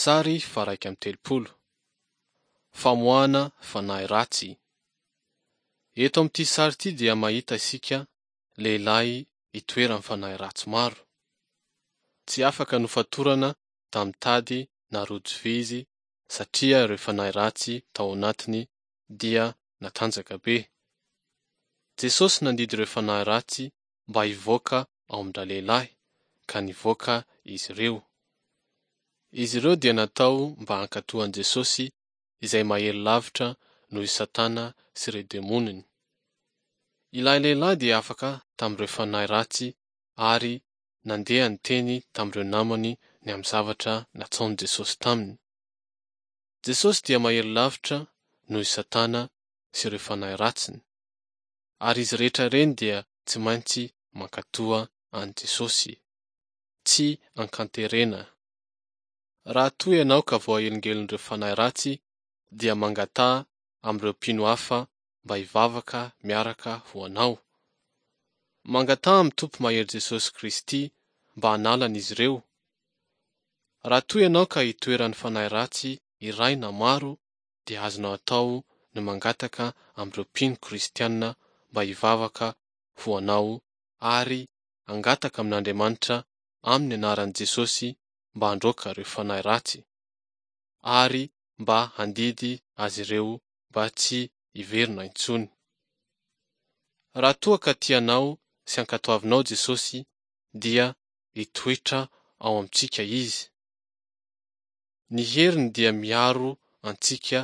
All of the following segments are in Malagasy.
Sary faha-31. Famoahana fanahy ratsy. Eto amin'ity sary ity dia mahita isika lehilahy itoeran'ny fanahy ratsy maro. Tsy afaka nofatorana tamin'ny tady na rojo vy izy satria ireo fanahy ratsy tao anatiny dia natanjaka be. Jesosy nandidy ireo fanahy ratsy mba hivoaka ao amin-dralehilahy, ka nivoaka izy ireo. Izy ireo dia natao mba hankatò an'i Jesosy izay mahery lavitra noho i Satana sy ireo demoniny. Ilay lehilahy dia afaka tamin'ireo fanahy ratsy ary nandeha niteny tamin'ireo namany ny amin'ny zavatra nataon'i Jesosy taminy. Jesosy dia mahery lavitra noho i Satana sy ireo fanahy ratsiny, ary izy rehetra ireny dia tsy maintsy mankatoa an'i Jesosy. Tsy ankanterena. Raha toa ianao ka voahelingelin'ireo fanahy ratsy dia mangataha amin'ireo mpino hafa mba hivavaka miaraka ho anao. Mangataha amin'ny Tompo Mahery Jesosy Kristy mba hanala an'izy ireo. Raha toa ianao ka itoeran'ny fanahy ratsy iray na maro dia azonao atao ny mangataka amin'ireo mpino kristiana mba hivavaka ho anao ary hangataka amin'Andriamanitra amin'ny anaran'i Jesosy mba handroaka ireo fanahy ratsy ary mba handidy azy ireo mba tsy hiverina intsony. Raha toa ka tianao sy ankatoavinao Jesosy dia hitoetra ao amintsika Izy. Ny heriny dia miaro antsika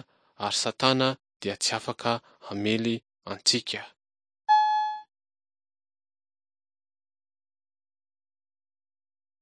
ary Satana dia tsy afaka hamely antsika.